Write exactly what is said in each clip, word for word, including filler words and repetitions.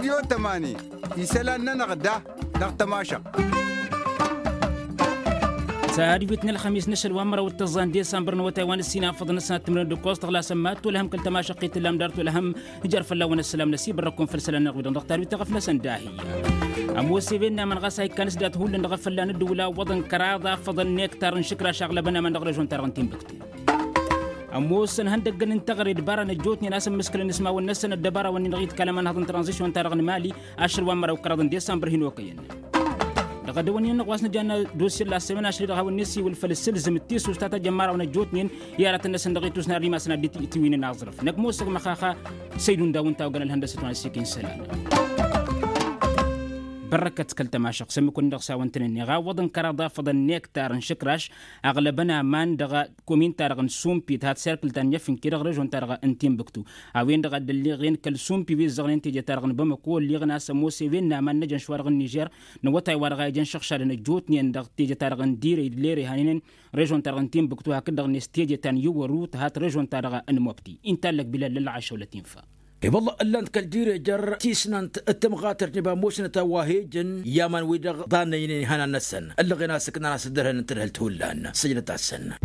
Tămani isălan-nănăɣ da dăɣ-tămašăɣt. S-ad-wit n-ălxămis n-ašăl wa n-măraw d-tăẓẓa n-disambăr n-awătay wa n-ǝssin afăḍăn ăsnat timǝrăn d-ǝkkoẓ tăɣlasăn mad-tolhăm kăl-tămašăɣt i-tǝllam dar tolhăm. Ijăr fălla-wăn ăssălam n-asibărrăkun făll-isălan n-aɣwidăn dăɣ-tarwit taɣăf-năsăn d-ahi. Ămoos evenna măn ɣas a ikkan s-dat hullan dăɣ-efălla n-ǝddǝwǝl a ǝwwăḍăn kăraḍ afăḍăn n-ektar n-išǝkraš aɣlăbăn aman dăɣ-režon-ta-dăɣ n-tinbǝktu. Ămoosăn ihăndăggăn n-teɣăre d-bara n-ăjjootnen a-s ǝmmǝskǝlăn s-imawăn-năsăn ăddăbara-wăn-in-dăɣ iḍkal ămanhăḍ n-tranzision-ta-dăɣ n-mali. Ašăl wa n-măraw kăraḍ n-disambăr hin-okăyăn. Dăɣ-edăwănnin-năɣ wa s-nǝja n-dosye n-la sămena ašăl-i-dăɣ hawăn-nǝsiwǝl făll-sǝlzǝm d-tisust ta tăjjămmarawăn ăjjootnen i-aratăn-năsăn dăɣ-itusna ar imasăn ad-dd-tiwǝynen aẓrǝf năkk ămoosăɣ măxaxa. Săydun daw ǝnta a ogăn ălhăndăsăt wa n-ăssikin isălan. Bărrăkăt kăl-tămašăɣt s-ămmǝk-wǝnnin-dăɣ s-a-wăn tăn-ănneɣ a ǝwwăḍăn kăraḍ afăḍăn n-ektar n-išǝkraš aɣlăbăn aman dăɣ-komin-ta-dăɣ n-sumpi tǝhat serkǝl ta n-mefǝnke dăɣ-režon-ta-dăɣ n-tinbǝktu. A-wen-dăɣ a dd-ălleɣen kăl-sumpi wi ǝzzăɣnen teje-ta-dăɣ n-bamăko ălleɣen a-s ămoos ewen n-aman n-ejăn šwa-dăɣ n-nižer n-awătay wa dăɣ-a ijăn šăɣšadăn ăjjootnen dăɣ-teje-ta-dăɣ n-direy d-lere hanănen režon-ta-dăɣ n-tinbǝktu hakd-dăɣ-net teje ta n-iwăru tǝhat režon-ta-dăɣ n-mobti. Intallăk bilal lălɣašăw lătinfa. I-wălla ǝllan-t kăl-direjăr tisnant d-tămɣatărt n-iba ămoosnăt a wa he-ǝjǝn i-aman-wi-dăɣ ḍannăynen ihănan-năsăn ǝllăɣen a-s ǝknan a-s dd-ărhănăn tadhǝlt hullan. Săjdăt-asăn.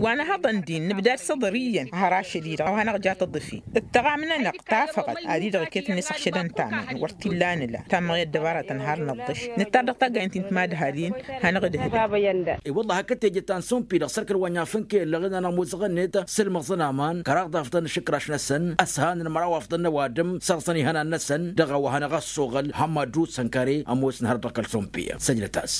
Wa nǝhhăḍăn din nǝbdad s-iḍăr iyyăn har ašăl-i-dăɣ a wa hanăɣ-ja tăḍǝfi d-taɣamnănăɣ tafăɣăt ad-i-dăɣ iket-net ăššădăn tamănt wăr t-illa nǝla tammăɣ i-ăddăbaratăn har nǝḍḍǝš nǝttar dăɣ-taggaynt n-timadhalin. Hanăɣ-dd-hǝdăn. I-wălla hakd teje ta n-sumpi dăɣ-sărkăl wa n-iafǝnke ǝllăɣen-anăɣ muzăɣăn-net s-ǝlmăẓăn aman kăraḍ afḍăn n-išǝkraš-năsăn ăshanăn măraw afḍăn n-ăwadǝm săr-săn ihănan-năsăn dăɣ-a-wa hanăɣ-ăssoɣăl hămmad rusănkare ămoosnăhăr dăɣ-kăl-sumpi. Săjdăt-as.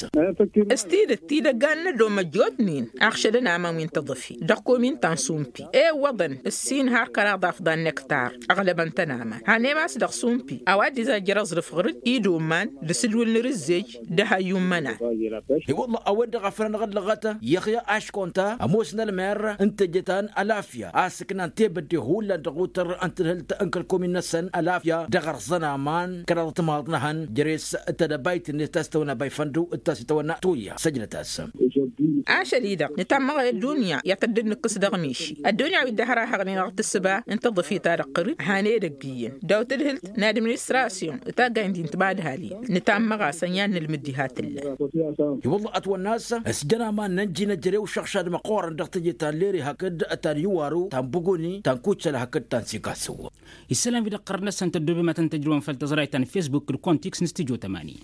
S-tidǝt tidăggan n-ădom ăjjootnen. Aɣšădăn aman wi n-tăḍǝfi dăɣ-komin ta n-sumpi ewăḍăn ǝssin har kăraḍ afḍan n-ektar ăɣlăbăn-tăn aman. Hanem a-s dăɣ-sumpi a-wa dd-izajjăr aẓrǝf ɣǝr-dd idoman d-asǝdwǝl n-arǝzzej d-ehăyyu n-imănan. I-wălla a-wen-dăɣ a făl anăɣ-ăllăɣăt yăxya aškonta ămoos n-ălmer n-teje ta n-alafya a-s ǝknan tebădde hullan dăɣ-utăr n-tǝdhǝlt n-kăl-komin-năsăn alafya dăɣ-ărẓăn aman kăraḍăt timaḍnăhăn jere-s tedăbayt-net ta s-tăwănna bayfăndu d-ta s-itawănna tuya. Săjdăt-as. Ašăl-i-dăɣ nǝtammăɣ i-ăddunya i-ad-tădd-nǝkkǝs dăɣ-miši ăddunya wi dd-ăhrahăɣnen dăɣ-tǝssǝba n-tăḍǝfit-ta-dăɣ qărǝd. Hane edăgg iyyăn daw-tadhǝlt n-administrasyon d-taggaynt-in timadhalin nǝtammăɣ-asăn i-ad-nǝlmǝd diha tǝllan. I-wălla ătwănna a-s s-jăn aman n-ănjinăt jere-w šăɣšad măqqoorăn dăɣ-teje ta n-lere hakd ta n-iwaru ta n-buguni ta n-kucăl hakd ta n-sikasǝw. Isălan wi-dăɣ qărăt-năsăn tăddoobem ad-tăn-tăjrăwăm făll-tăẓrayt ta n-fesbuk d-kontiks n-studyo tămani.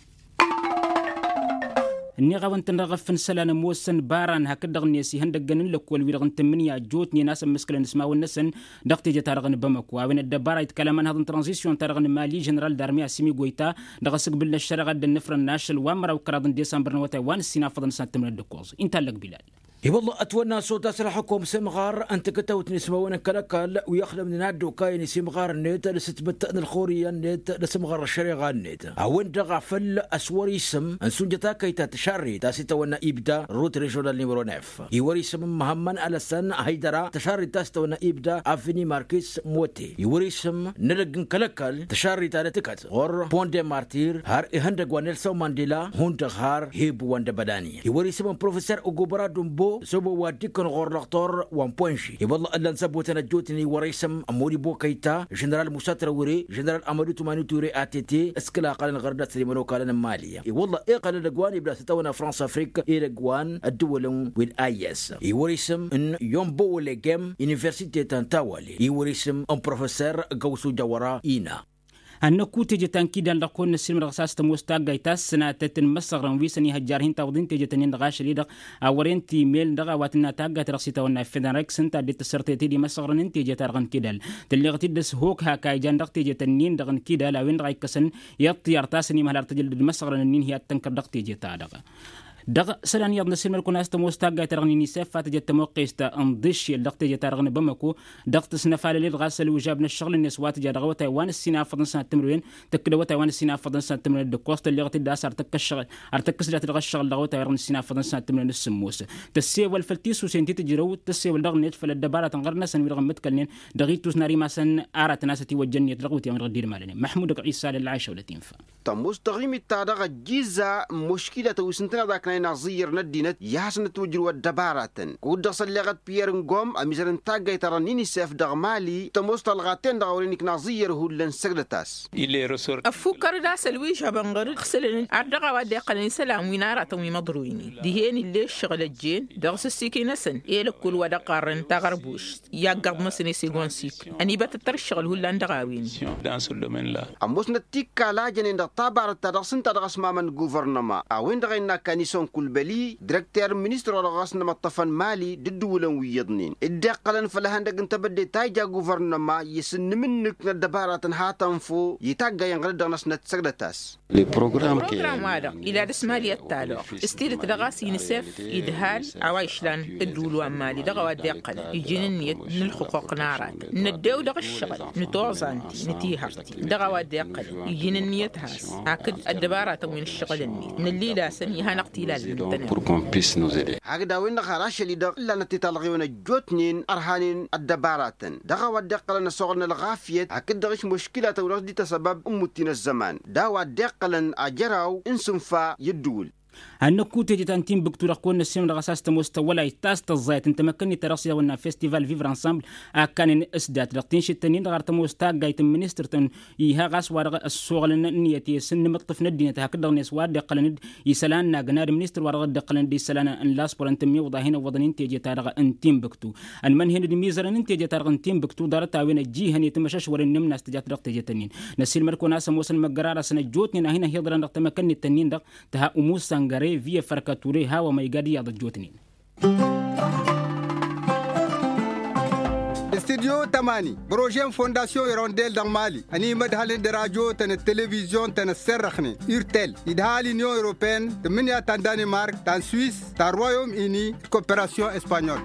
Ǝnniɣ-awăn-tăn dăɣ-efăn isălan ămoosăn baran hakd-dăɣ-net ihăndăggăn n-lăkkol wi-dăɣ n-tǝmmǝnǝya ăjjootnen a-s ămmǝskălăn s-imawăn-năsăn dăɣ-teje-ta-dăɣ n-bamăko a-wen ăddăbara iḍkal ămanhăḍ n-tranzisyon-ta-dăɣ n-mali ženeral d-arme asimi goyta dăɣ-asǝgbǝl n-ăššăreɣa dd-ănnăfrăn n-ašăl wa n-măraw kăraḍ n-disămbăr n-awătay wa n-ǝssin afăḍăn s-ad-tǝmrăn d-ǝkkoẓ. Intallăk bilal. I-wălla ătwănna s-otas ălxukum s-imɣar n-takǝtawt n-ismawăn n-kăl-ăkall wi ăxdămnen ad-dd-okayăn isimɣar-net d-asǝtmǝt n-ălxurǝyya-net d-asǝmɣar n-ăššăreɣa-net a-wen-dăɣ a făl ăswăr isǝm n-sunjăt akăyta tǝšarrit ta s-itawănna ibda rut režional nimero nef. Iwăr isǝm n-măhămmăn alăsăn hăydăra tǝšarrit ta s-itawănna ibda avni markis mote iwăr isǝm n-edăgg n-kăl-ăkall tǝšarrit ta d-tǝkăt ɣur-pon de martir har ihăndăgg wa nelson mandela hundăɣ har hebu wa n-dăbădani iwăr isǝm n-professer ugubăra dumbo s-obo wa dd-ikkăn ɣur-dăɣtor wa n-ponži. I-wălla ǝllan-s ăbutăn ăjjootnen iwăr isǝm n-modibo kăyta ženeral musa trawre ženeral amădu tumani ture a tete s-kăla ăqqălăn ɣărăt d-asăl imănokalăn n-mali. I-wălla iqqăl edăgg wa n-ibda s-itawănna frans afrik edăgg wa n-ăddǝwălăn wi n-a i s iwăr isǝm n-yombo wălegem universite ta n-tawale iwăr isǝm n-professer găwsu jawăra ina. Ad-năkku teje ta n-kidal dăɣ-kăwăn-năssilmăd dăɣ-s a-s tămoos taggayt ta s-sănatăt n-imăssăɣrăn wi săn-ihăjjar hin-tawăḍin teje-tăn-in dăɣ-ašăl-i-dăɣ a wăren timel dăɣ-a-wa tǝnna taggayt dăɣ-s itawănna fedănrek s-ǝnta a dd-tǝssărtăy tede imăssăɣrăn n-teje-ta-dăɣ n-kidal. Tǝlleɣ-t-dd ăshok hak a ijan dăɣ-teje-tăn-in-dăɣ n-kidal a-wen-dăɣ a ikkăsăn i-ăṭṭiyar ta s-ănimăhăl ar tǝjǝl d-imăssăɣrăn-nin hi-ad-tănkăr dăɣ-teje-ta-dăɣ. Dăɣ-isălan iyyăḍ n-asǝlmăd-kăwăn a-s tămoos taggayt-ta-dăɣ n-inisef a tǝjăt tămoqqest n-iḍǝššel dăɣ-teje-ta-dăɣ n-bamăko dăɣ-tǝsnăfalăl-dd ɣas ălwǝžab n-ăššăɣǝl-net wa tǝja dăɣ-awătay wa n-ǝssin afăḍăn sănat timǝrwen tăkk-dd awătay wa n-ǝssin afăḍăn sănat timǝrwen d-ǝkkoẓ tălleɣ-t-dd a-s ar tăkk-ăššăɣǝl ar tăkk-s dat-dăɣ ăššăɣǝl dăɣ-awătay wa dăɣ-n ǝssin afăḍăn sănat timǝrwen d-sǝmmos. Tăssewăl făll-tisusen ti tǝjrăw tăssewăl dăɣ-net făll-ăddăbaratăn ɣărnăsăn wi-dăɣ ǝmmǝtkălnen dăɣ-ittus n-ar imasăn aratăn a-s ătiwăjja ǝnniyăt dăɣ-iwǝtyan wi-dăɣ dd-ilmalănen măḥmud ăgg-isa lălɣayša wăla tinfa. Tămoos taɣimit-ta-dăɣ ăjjiza n-muškila tăwis ǝntăneḍ akna. inaẓǝyyăr n-ăddinăt i-ad-hasăn-ătwǝjrǝw ăddăbaratăn. Kud-dăɣ s-ălleɣăt piyer n-gom ămizăr n-taggayt-ta-dăɣ n-inisef dăɣ-mali tămoos talɣa-ten-dăɣ a wăren iknaẓǝyyăr hullan săgdăt-as. Ăffukkăr d-asăl wi žăbăn ɣăr-dd ǝxsǝlăn-dd ar dăɣ-a-wa dd-iqqălăn isălan wi n-aratăn wi măḍroynen dihen ill'-e ǝššăɣǝl ăjjeen dăɣ-s ǝssikǝy-năsăn i-lăkkul wa dăɣ-ɣarrăn taɣărbušt i-aggăḍ-năsăn i-segon sikl ănibătăttăr ǝššăɣǝl hullan dăɣ-a-wen. Ămoosnăt tikkal a jănen dăɣ-tabarăt ta dăɣ-s ǝnta dăɣ-ăsmamăn n-guvărnăma a-wen-dăɣ a innă kanison kulbăli dirăkter n-ministăr wa dăɣ-ɣas n-imăṭṭăfăn mali d-ǝddǝwǝlăn wi iyyăḍnen dd-iqqălăn făll-ehăndăg n-tebădde ta ija guvărnăma i-asǝnnǝmǝnnǝk n-ăddăbaratăn hatăn-fo i-taggayăn ɣǝr-dd dăɣ-năsnăt săgdăt-as. Program wa-dăɣ ila dăr-s mali ăttalăɣ s-tidǝt dăɣ-a-s inisef idhal a-wa išlan ǝddǝwǝl wa n-mali dăɣ-a-wa dd-iqqălăn iji n-ǝnniyăt n-ǝlxǝquq n-aratăn năddew dăɣ-ǝššăɣǝl nǝtoẓa ǝnti nǝtihărti dăɣ-a-wa dd-iqqălăn iji n-ǝnniyăt has hakd ăddăbaratăn wi n-ǝššăɣǝl-net năllilasăn ihăn ăɣtilal n-tănăt. Hakd a-wen-dăɣ har ašăl-i-dăɣ ǝllanăt i-talɣiwăn ăjjootnen ărhanen ăddăbaratăn dăɣ-a-wa dd-iqqălăn ăsoɣăl n-ălɣafyăt hakd-dăɣ išmǝškǝlatăn wi dăɣ-s-dd-tasăbab n-imutti n-ăzzăman d-a-wa dd-iqqălăn ajăraw n-isǝnfa i-ǝddǝwǝl. Ad-năkku teje ta n-tinbǝktu dăɣ-kăwăn-năssinăm dăɣ-a-s tămoos tăwwălayt ta s-tăẓẓayăt n-tamăkkănnit ta dăɣ-s i-dăɣ-wănna festival vivre ensemble a ǝkkanen s-dat dăɣ-tinšǝt-tăn-in-dăɣ ar tămoos taggayt n-ministăr-tăn iha ɣas wa dăɣ-ăssoɣălăn ǝnniyăt i-s n-inǝmǝṭṭǝf n-ăddinăt hakd-dăɣ-net wa dd-iqqălăn-dd isălan n-agna d-ministăr wa dăɣ-dd-iqqălăn-dd isălan n-laspor ǝnta ămmiwǝḍ a hin-ǝwwăḍăn n-teje-ta-dăɣ n-tinbǝktu. Ănmănhen d-imizărăn n-teje-ta-dăɣ n-tinbǝktu ḍarăt-a-wen ăjjihăn i-timăšăšwăren n-imnas tǝjat dăɣ-teje-tăn-in năssiilmăd-kăwăn a-s ămoosăn măggăra-dăɣ săn ăjjootnen a hin-ăhiḍărăn dăɣ-tamăkănnit-tăn-in-dăɣ tǝha umu săngăre via fărkăture hawa ma iga d-iyyăḍ ăjjootnen. Studyo tămani bărožen fondasyon irondel dăɣ-mali ănimădhălăn d-rajo-tăn d-televizyon-tăn ăsserrăxnen urtel idhal inyon europeen tǝmmǝnǝya ta n-danimark ta n-swis ta n-royom ini d-koperasyon espanyol.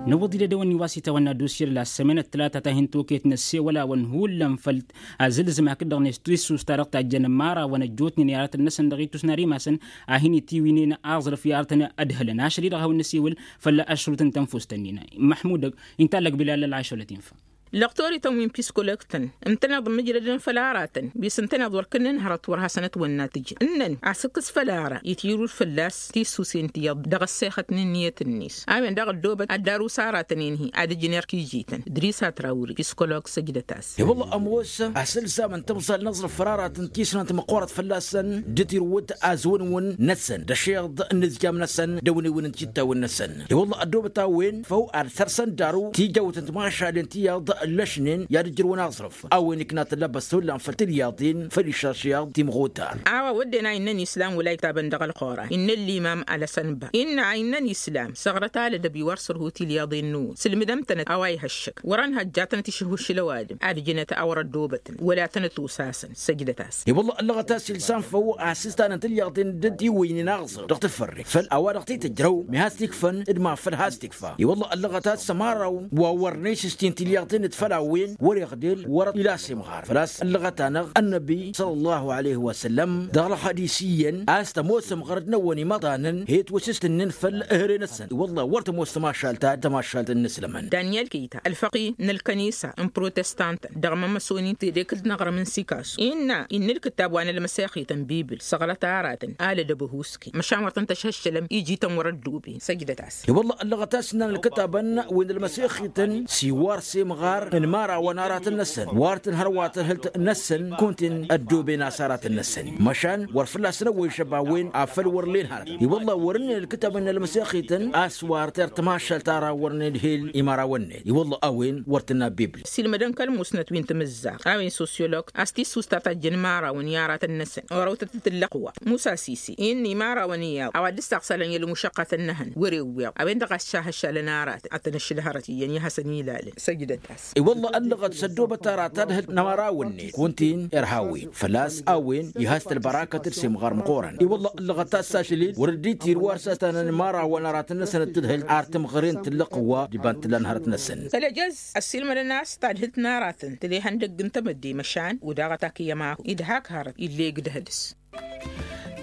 Năwwăḍ-dd edăwănni wa s-itawănna dosye d-la sămen ăttălata ta hin-toket n-ăssewăl-awăn hullan făll-azǝlzǝm hakd-dăɣ-net tissus ta dăɣ-tajjăn ămmarawăn ăjjootnen i-aratăn-năsăn dăɣ-itus n-ar imasăn a hin-itiwǝynen aẓrǝf i-aratăn ădhǝlăn ašăl-i-dăɣ a hawăn-năsiwǝl făll-ašrut n-tănfust-ǝnnin. Măḥmud intallăg bilal ălɣašăwlăt infa. Lăqtorităn wi n-piskolog-tăn ǝntăneḍ n-mǝjrădăn făll-aratăn wi s-ǝntăneḍ wăr kǝnnǝnhărăt wăr hasăn-ătwănna tǝjǝn ǝnnăn asǝkkǝs făll-ara itirud fălla-s tisusen ti iyyăḍ dăɣ-ăssexăt n-ǝnniyăt-net a-wen daɣ ăddoobăt ad-darus aratăn-en-hi ad-ǝjǝn erk ijităn. Dris atrawri piskolog săjdăt-as. I-wălla ămoos asǝlzam n-tamẓal n-aẓrǝf făll-aratăn tisnant măqqoorăt fălla-săn d-tirǝwǝt azwǝnwǝn-năsăn d-ašeḍ n-inǝzjam-năsăn d-awǝnewǝn n-tittawǝn-năsăn. I-wălla ăddoobăt a-wen făw ad-săr-săn daru tijawt n-timašalen ti iyyăḍ ǝllăšnen i-ad-ǝjrǝwăn aẓrǝf a-wen ikna tăllăbăst hullan făll-tilyaḍin făll-išăšyaḍ timɣutar. A-wa wădden a innăn islam wăla iktabăn dăɣ-ălxoran innă ăllimam alăsănba innă a innăn islam săɣrăt alădăb iwar sărhu tilyaḍin-năwăn sǝlmǝdăm-tănăt a-wa ihăššăk wăr-ănhăjjatănăt išǝhušǝl ăwadǝm ad-ǝjǝnăt a wăr-ăddoobătăn wăla tănăt-osasăn. Săjdăt-as. I-wălla ăllăɣăt a-s ilsan făw a-s ǝstanăn tilyaḍin dd-iwǝynen aɣẓrǝf dăɣ-tǝfărre făll-a-wa-dăɣ t-tǝjrăw mi has-t-ikfăn d-ma făl has-t-ikfa. I-wălla ăllăɣăt a-s ămăraw wa wăr n-isǝstin tilyaḍin d-făll-a-wen wăr-iɣdel wăr-ila s-imɣar făl-a-s ăllăɣăt-anăɣ ănnăbi săl-ăllahu aleyh wa săllăm dăɣ-ălxadis iyyăn a-s tămoosăm ɣărăt-năwăn imăḍanăn he-twăsǝstǝnnen făll-ehăre-năsăn i-wălla wăr tămoos tămašalt ta d-tămašalt n-inǝslămăn. Daniel keyta ălfăqi n-ălkănisa n-protestantăn dăɣ-mămăsonin tedekǝlt n-aɣrǝm n-sikasu innă innă ǝlkǝttab wa n-ălmăsexităn bibǝl săɣrăt aratăn alădăb ăhuuske măšan wăr tăn-tăšhăššălăm iji-tăn wăr-ădduben. Săjdăt-as. I-wălla ăllăɣăt a-s ǝnnan ǝlkǝtabăn wi n-ălmăsexităn s-iwar s-imɣar n-imărawăn aratăn-năsăn wăr tǝnhăr wa tărhǝlt-năsăn kunta-in ăddoben a-s aratăn-năsăn măšan wăr fălla-săn ăwwăy žăb a-wen afăl wăr len hărăt. I-wălla wăr-ǝnnin ǝlkǝtabăn n-ălmăsexităn a-s wăr ter tămašalt ara wăr nedhil imărawăn-net i-wălla a-wen wăr tǝnna bibl. Silmădăn kăl-musnăt wi n-tamǝzzaɣt a-wen sosyolog a-s tissust ta tajjăn imărawăn i-aratăn-năsăn orăwtăt d-tǝllăqwa musa sisi innă imărawăn iyyăḍ a-wa dd-ǝssaɣsălăn i-ălmušăqqatăn n-ehăn wăr-ewweḍ a-wen-dăɣ a s-šahăššalăn aratăn ad-tăn-ăššǝlhărăt iyyăn i-ad-hasăn-ilalăn. Săjdăt-as. I-wălla ăllăɣăt s-ăddoobăt aratăn ad-hǝlt n-amărawăn-net kunta-in irha a-wen făl-a-s a-wen ih'-as tălbărakăt d-semɣar măqqoorăn. I-wălla ăllăɣăt a-s ašăl-dd wăr dd-itir wa s-ăstanăn imărawăn aratăn-năsăn d-tadhǝlt ar tǝmɣăre n-tǝllăqwa d-iba n-tǝlla n-hărăt-năsăn. Tălăjăz ăssiilmădăn a-s tadhǝlt n-aratăn tǝla ihăndăgg n-tamădde măšan udaɣăt ak iyyăm a-hu idhak hărăt ill'-e gdăhădǝs.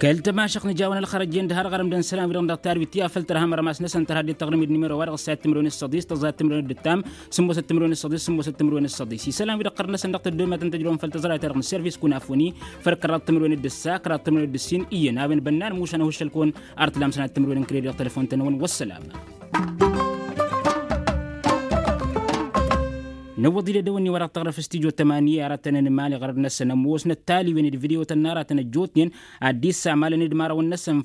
Kăl-tămašăɣt nǝjawăn ălxărăjjen d-har ɣărăm d-ănsălam wi-dăɣ dăɣ-tarwit ti-a făl tărha mărmas-năsăn tărha dd-tăɣrǝm d-nimero wa dăɣ-ăssayăt timǝrwen d-săḍis tăẓẓayăt timǝrwen d-ǝttam sǝmmosăt timǝrwen d-săḍis sǝmmosăt timǝrwen d-săḍis isălan wi-dăɣ ɣărăt-năsăn dăɣ-tăddomatăn tăjrăwăn făll-tăẓrayăt-ta-dăɣ n-service kunafoni făll-kăraḍ timǝrwen d-ǝssa kăraḍ timǝrwen d-ǝssin iyyăn a-wen bănnan mušan ahǝššăl-kăwăn ar t-lamsăn ad-timǝrwen n-kredit dăɣ-telăfon-tăn-wăn wăssălam. Năwwăḍ-dd edăwănni wa dăɣ-tăɣrăf s-tijo tămani aratăn n-imali ɣărăd-năsăn ămoosnăt taliwen d-vidyo-tăn n-aratăn ăjjootnen ad-dd-issamalăn d-imărawăn-năsăn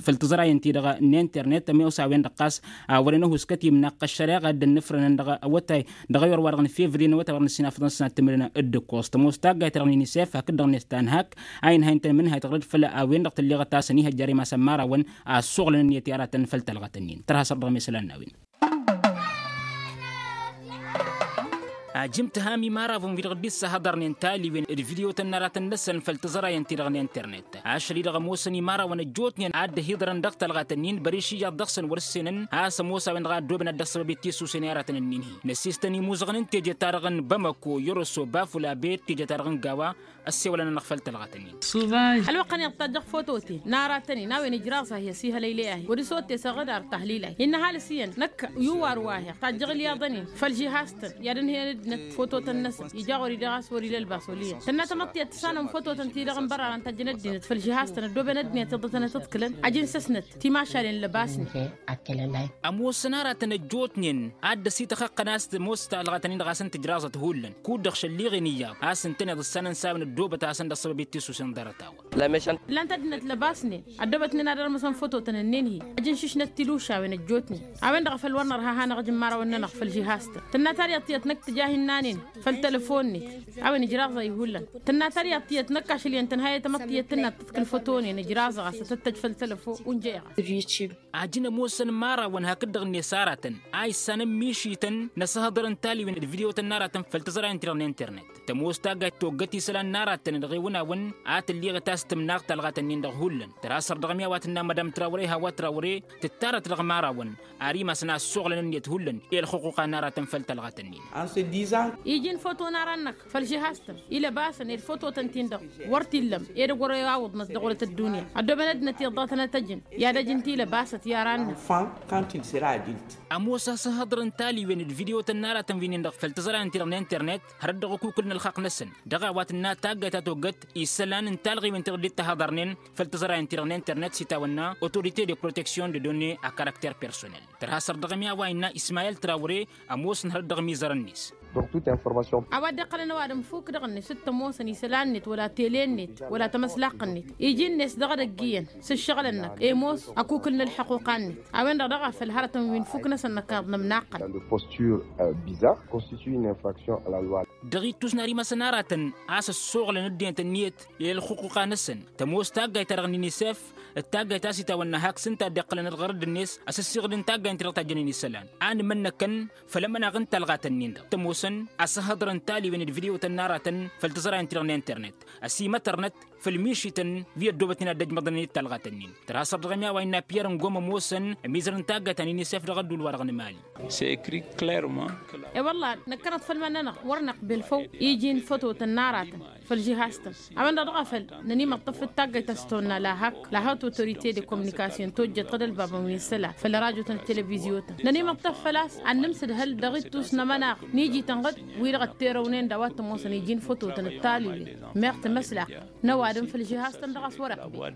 făll-tǝẓrayen-ti-dăɣ n-internet ămoos a-wen-dăɣ ɣas a wărăn ăhuskăt imnaqqăššăreɣa dd-ănnǝfrănăn dăɣ-awătay dăɣ-ayǝr wa dăɣ-nǝfevri n-awătay wa dăɣ-nǝssinafăḍăn s-nat timǝrǝnăn d-ǝkkoẓ tămoos taggayt-ta-dăɣ n-inisef hakd-dăɣ-net ta n-hak a inhăyăn-tăn imǝnhayt ɣǝrǝd făll-a-wen-dăɣ tǝlleɣăt a-s ănihăjjar i-masăn imărawăn a ăssoɣlăn ǝnniyăt i-aratăn făll-talɣat-ǝnnin tărha săr-dăɣ mesălan n-a-wen. Ajǝm tǝham imărawăn wi-dăɣ dd-issahăḍărnen taliwen d-vidyo-tăn n-aratăn-năsăn făll-tǝẓrayen-ti-dăɣ n-internet ašăl-i-dăɣ ămoosăn imărawăn ăjjootnen a dd-ăhiḍărăn dăɣ-talɣat-ǝnnin băriš iyyăḍ dăɣ-săn wăr-ǝssenăn a-s ămoos a-wen-dăɣ a ăddoobăn ad-dd-ăṣṣăbăb i-tisusen i-aratăn-ǝnnin-hi năssiistăn imuzăɣăn n-teje-ta-dăɣ n-bamăko yărosăw bafula bet teje-ta-dăɣ n-gawa ăssewălăn-anăɣ făll-talɣat-ǝnnin. Ălwăqq-ănneḍ tajjăɣ fototen n-aratăn-in a-wen ijraẓ-ahi ăsihălăy ley-ahi wăr-s ottesăɣ d-ar tahlil-ahi innă ăhalǝs iyyăn năkk iwwar wa-hi tajjăɣ ǝlyaḍăn-in făll-žihaz-tăn i-ad-ǝnhǝyăn ăddinăt fototăn-năsăn ija ɣur-i dăɣ-a-s wăr-ila ălbas olǝyăn tănna tamăḍt tiyyăt tǝsanăm fototăn-ti-dăɣ n-bărarăn tajjăn ăddinăt făll-žihaz-tăn ăddooben ăddinăt iḍătăn ad-t-ǝḍkǝlăn ajǝnsăsnăt timašalen lăbasnen. Ămoosăn aratăn ăjjootnen a dd-ăsităxăqqăn a-s tămoos talɣa-tăn-in-dăɣ a-s ǝntǝjraẓăt hullan kud-dăɣ šălliɣen iyyăḍ a-s ǝntăneḍ ǝssanăn s-a-wen ăddoobăt a hasăn-dd-ăṣṣăbăb i-tisusen ḍarăt-a-wa. Ǝllan-t ăddinăt lăbasnen ăddoobătnen ad-ărmăsăn fototăn-ǝnnin-hi ăjǝnšǝšnăt tilušawen ăjjootnen a-wen-dăɣ a făl wăr nărha a hanăɣ-ǝjǝn imărawăn-nănăɣ făll-žihaz-tăn tǝnna taryaḍt tiyyăt năkk tǝja hin-nanen făll-telăfon-net a-wen ijraẓ-ahi hullan tǝnna taryaḍt tiyyăt năkk ašăl iyyăn tǝnhăyăt tamăḍt-tiyyăt tǝnna tǝḍkǝl fotonen ijraẓăɣ a-s ad-tăt-tăj făll-telăfon unjăyăɣ-as. Ajǝn ămoosăn imărawăn hakd-dăɣ-net aratăn a issanăn mišităn n-asǝhhăḍărăn taliwen d-vidyo-tăn n-aratăn făll-tǝẓrayen-ti-dăɣ n-internet tămoos taggayt toggăt isălan n-aratăn dăɣ-ewǝnawăn a tǝlliɣăt a-s tǝmnaɣ talɣat-ǝnnin dăɣ-hullan tărha săr-dăɣ ămiawat n-na madam trawre hawa trawre tǝttarăt dăɣ-imărawăn ar imasăn a ăssoɣlăn ǝnniyăt hullan i-ălxuquqa n-aratăn făll-talɣat-ǝnnin. Iji n-foto n-aran-năk făll-žihaz-tăn ilăbasăn ed fototăn-tin-dăɣ wăr t-illăm edăgg wăr i-awǝḍnăt dăɣ-wălăt ăddunya ăddooben ăddinăt iḍătăn ad-t-ăjǝn i-ad-ăj ǝnta ilăbasăt i-aran-năk. Ămoos asǝhhăḍrăn taliwen d-vidyo-tăn n-aratăn wi-nin-dăɣ făll-tǝẓrayen-ti-dăɣ n-internet hărăt dăɣ-ăkukǝl n-ălxaqq-năsăn dăɣ-a-wa tǝnna taggayt ta toggăt isălan n-talɣiwen ti-dăɣ dd-tahăḍărnen făll-tǝẓrayen-ti-dăɣ n-internet s-itawănna autorite de protection de donne a caracter personnel. Tărha săr dăɣ-ămi a-wa innă ismayel trawre ămoosăn hărăt dăɣ-mizărăn-net. A-wa dd-iqqălăn ăwadǝm fuk dăɣ-net s-t-ămoosăn isălan-net wăla tele-net wăla tamăslaqqăn-net iji-net dăɣ-edăgg iyyăn s-ǝššăɣǝlăn-năk i-ămoos ăkukǝl n-ălxăquqa-net. A-wen-dăɣ daɣ a făl hărătăn wi n-fuk-năsăn năkkaḍ nămnaqqăl. Dans de posture bizarre constitue une infraction à la loi. Dăɣ-ittus n-ar imasăn aratăn a-s ăssoɣlăn ăddinăt ǝnniyăt i-ălxuquqa-năsăn tămoos taggayt-ta-dăɣ n-inisef d-taggayt a-s itawănna hak s-ǝnta a dd-iqqălăn ălɣărăd-net a-s ăssiɣǝdăn taggayt-ti-dăɣ tajjănen isălan a nǝmănnăkăn făll-ămănaɣ n-talɣat-ǝnnin-dăɣ tămoosăn asǝhhăḍrăn taliwen d-vidyo-tăn n-aratăn făll-tǝẓrayen-ti-dăɣ n-internet ăsimătărnăt făll-mišităn wi ăddoobătnen ad-dd-ăjmăḍnen i-talɣat-ǝnnin. Tărha săr dăɣ-ămi a-wa innă piyăr n-gom ămoosăn ămizărăn taggayt ta n-inisef dăɣ-ădduul-wa-dăɣ n-mali. E-wălla năkkănăt făll-iman-nănăɣ wăr năqbel făw iji n-fătotăn n-aratăn făll-žihaz-tăn. A-wen-dăɣ dăɣ-a făl nănimăṭṭăf d-taggayt a-s tăwănna la hak la haute autorité de communication tojjăt ɣǝd ălbabăn wi n-isălan făll-rajotăn d-televizyo-tăn nănimăṭṭăf făl-a-s ad-nǝmsǝdhăl dăɣ-ittus n-ămănaɣ n-iji-tăn ɣǝd wi-dăɣ ătterăwnen d-a-wa t-ămoosăn iji n-fătotăn d-taliwen meɣ timăslaqăn n-ăwadǝm făll-žihaz-tăn dăɣ-a-s wăr-ăqbel.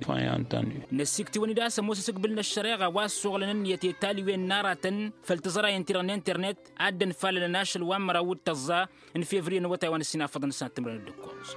Năssiktǝwăn-dd a-s ămoos asǝgbǝl n-ăššăreɣa wa ăssoɣlăn ǝnniyăt i-taliwen n-aratăn făll-tǝẓrayen-ti-dăɣ n-internet a dd-ănfalălăn ašăl wa n-măraw d-tăẓẓa n-fevriye n-awătay wa n-ăssinafăḍăn s-ad-tǝmrăn d-ǝkkoẓ.